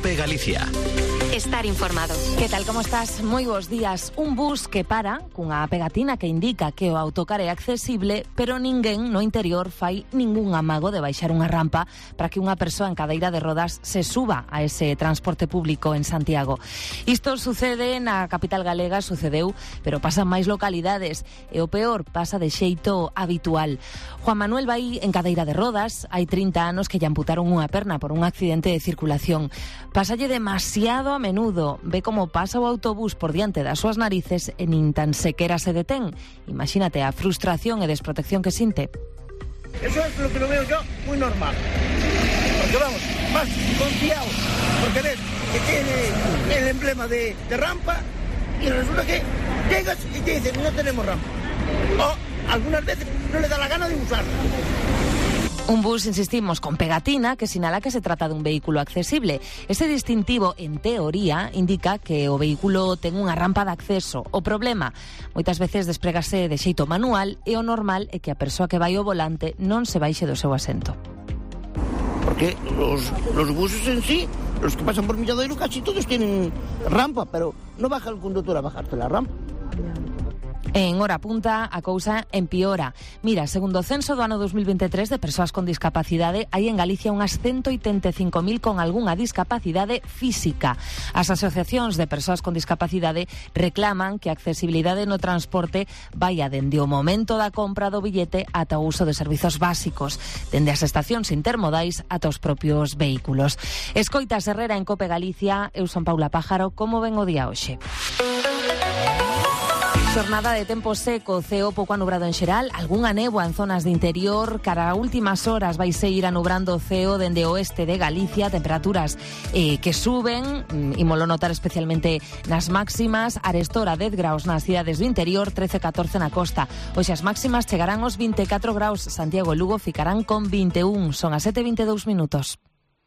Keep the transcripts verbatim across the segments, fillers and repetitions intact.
COPE Galicia. Estar informado. Que tal, como estás? Moi bons días. Un bus que para cunha pegatina que indica que o autocar é accesible, pero ninguén no interior fai ningún amago de baixar unha rampa para que unha persoa en cadeira de rodas se suba a ese transporte público en Santiago. Isto sucede na capital galega, sucedeu, pero pasa en máis localidades e o peor pasa de xeito habitual. Juan Manuel vai en cadeira de rodas, hai trinta anos que lle amputaron unha perna por un accidente de circulación. Pásalle demasiado a menudo, ve como pasa o autobús por diante das súas narices e nin tan sequera se detén. Imagínate a frustración e desprotección que sinte. Eso es lo que lo veo yo muy normal. Porque vamos, más confiado, porque ves que tiene el emblema de, de rampa y resulta que llegas y te dicen no tenemos rampa. O algunas veces no le da la gana de usarla. Un bus, insistimos, con pegatina que sinala que se trata dun vehículo accesible. Ese distintivo, en teoría, indica que o vehículo ten unha rampa de acceso. O problema, moitas veces desprégase de xeito manual e o normal é que a persoa que vai ao volante non se baixe do seu asento. Porque los, los buses en sí, los que pasan por Milladoiro, casi todos tienen rampa, pero no baja el conductor a bajarte la rampa. En hora punta, a cousa empeora. Mira, segundo o censo do ano dos mil veintitrés de persoas con discapacidade, hai en Galicia unhas ciento oitenta e cinco mil con algunha discapacidade física. As asociacións de persoas con discapacidade reclaman que a accesibilidade no transporte vaya dende o momento da compra do billete ata o uso de servizos básicos, dende as estacións intermodais ata os propios vehículos. Escoitas Herrera en COPE Galicia, eu son Paula Pájaro, como ven o día hoxe? Xornada de tempo seco, ceo pouco anubrado en xeral, algunha néboa en zonas de interior, cara a últimas horas vai seguir anubrando o ceo dende o oeste de Galicia, temperaturas eh, que suben, ímolo notar especialmente nas máximas, arestora dez graus nas cidades do interior, trece a catorce na costa. Hoxe as máximas chegarán aos vinte e catro graus, Santiago e Lugo ficarán con vinte e un, son as sete e vinte e dous minutos.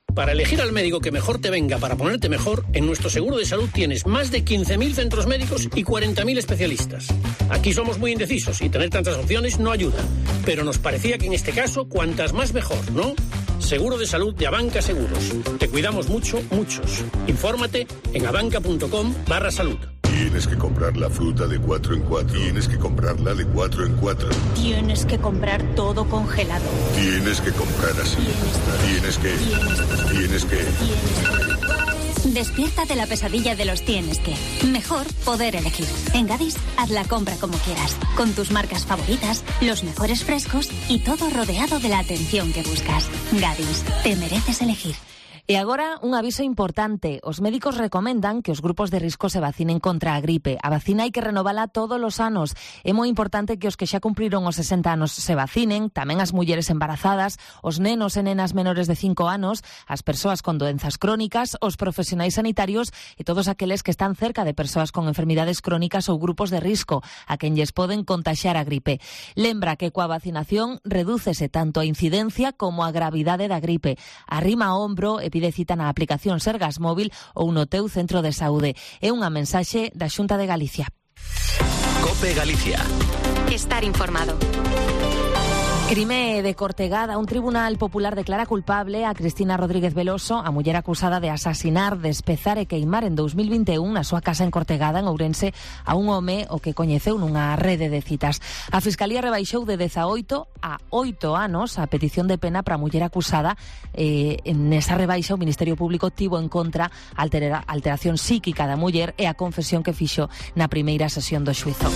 Para elegir al médico que mejor te venga para ponerte mejor, en nuestro seguro de salud tienes más de quince mil centros médicos y cuarenta mil especialistas. Aquí somos muy indecisos y tener tantas opciones no ayuda. Pero nos parecía que en este caso, cuantas más mejor, ¿no? Seguro de salud de Abanca Seguros. Te cuidamos mucho, muchos. Infórmate en abanca.com barra salud. Tienes que comprar la fruta de cuatro en cuatro. Tienes que comprarla de cuatro en cuatro. Tienes que comprar todo congelado. Tienes que comprar así. Tienes que. Tienes que. Despierta de la pesadilla de los tienes que. Mejor poder elegir. En Gadis, haz la compra como quieras. Con tus marcas favoritas, los mejores frescos y todo rodeado de la atención que buscas. Gadis, te mereces elegir. E agora, un aviso importante. Os médicos recomendan que os grupos de risco se vacinen contra a gripe. A vacina hai que renovala todos os anos. É moi importante que os que xa cumpriron os sesenta anos se vacinen, tamén as mulleres embarazadas, os nenos e nenas menores de cinco anos, as persoas con doenzas crónicas, os profesionais sanitarios e todos aqueles que están cerca de persoas con enfermidades crónicas ou grupos de risco, a quen lles poden contaxiar a gripe. Lembra que coa vacinación redúcese tanto a incidencia como a gravidade da gripe. Arrima o ombro e pide cita na aplicación Sergas Móvil ou no teu centro de saúde. É unha mensaxe da Xunta de Galicia. COPE Galicia. Estar informado. Crime de Cortegada. Un tribunal popular declara culpable a Cristina Rodríguez Veloso, a muller acusada de asasinar, despezar e queimar en dos mil vinte e un na súa casa en Cortegada, en Ourense, a un home o que coñeceu nunha rede de citas. A Fiscalía rebaixou de dezaoito a oito anos a petición de pena para a muller acusada. Eh, nesa rebaixa o Ministerio Público tivo en contra a altera, alteración psíquica da muller e a confesión que fixo na primeira sesión do xuízo.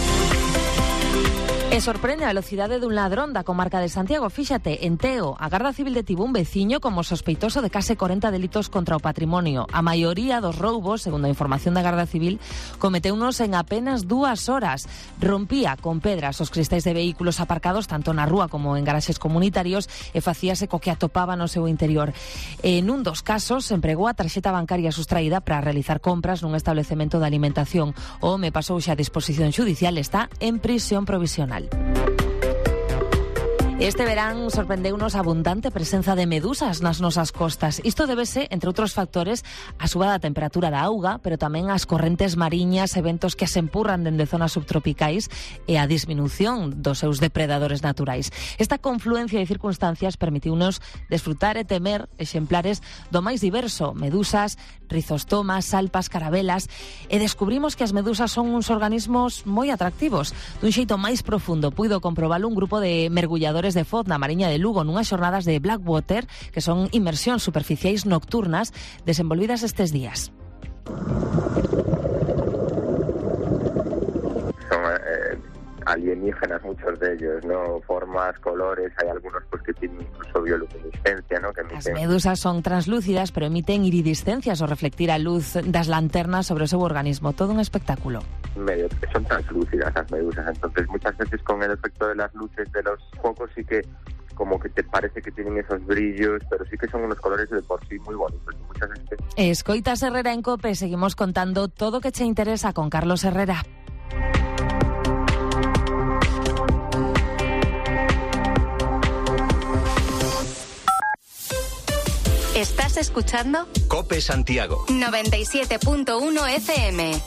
E sorprende a velocidade dun ladrón da comarca de Santiago. Fíxate, en Teo, a Garda Civil detivo un veciño como sospeitoso de case corenta delitos contra o patrimonio. A maioría dos roubos, segundo a información da Garda Civil, cometeunos en apenas dúas horas. Rompía con pedras os cristais de vehículos aparcados tanto na rúa como en garaxes comunitarios e facíase co que atopaba no seu interior. En un dos casos, empregou a tarxeta bancaria sustraída para realizar compras nun establecemento de alimentación. O home pasou xa a disposición xudicial, está en prisión provisional. Este verán sorprendeunos a abundante presenza de medusas nas nosas costas. Isto débese, entre outros factores, a suba da temperatura da auga, pero tamén as correntes mariñas, eventos que se empurran dende zonas subtropicais e a disminución dos seus depredadores naturais. Esta confluencia de circunstancias permitiunos desfrutar e temer exemplares do máis diverso, medusas, rizostomas, salpas, carabelas, e descubrimos que as medusas son uns organismos moi atractivos. Dun xeito máis profundo puido comprobalo un grupo de mergulladores de Foz na Mariña de Lugo nunhas xornadas de Blackwater, que son inmersións superficiais nocturnas desenvolvidas estes días. Son eh, alienígenas muchos de ellos, ¿no? Formas, colores, hay algunos pues que tienen incluso bioluminiscencia, ¿no? Que emiten... As medusas son translúcidas, pero emiten iridiscencias ao reflectir a luz das lanternas sobre o seu organismo. Todo un espectáculo. Medio, son translúcidas las medusas, entonces muchas veces con el efecto de las luces de los focos sí que como que te parece que tienen esos brillos, pero sí que son unos colores de por sí muy bonitos. Muchas veces... Escoitas Herrera en COPE, seguimos contando todo o que che interesa con Carlos Herrera. ¿Estás escuchando? COPE Santiago noventa y siete punto uno F M.